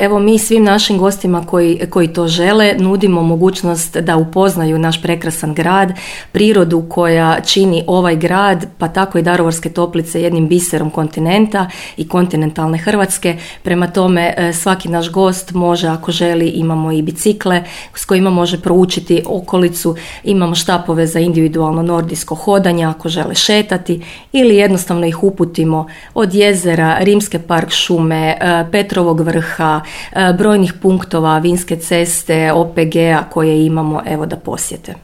Evo, mi svim našim gostima koji to žele nudimo mogućnost da upoznaju naš prekrasan grad, prirodu koja čini ovaj grad, pa tako i Daruvarske Toplice jednim biserom kontinenta i kontinentalne Hrvatske. Prema tome, svaki naš gost može, ako želi, imamo i bicikle s kojima može proučiti okolicu, imamo štapove za individualno nordijsko hodanje ako žele šetati, ili jednostavno ih uputimo od jezera, Rimske park šume, Petrovog vrha, brojnih punktova, vinske ceste, OPG-a koje imamo, evo, da posjete.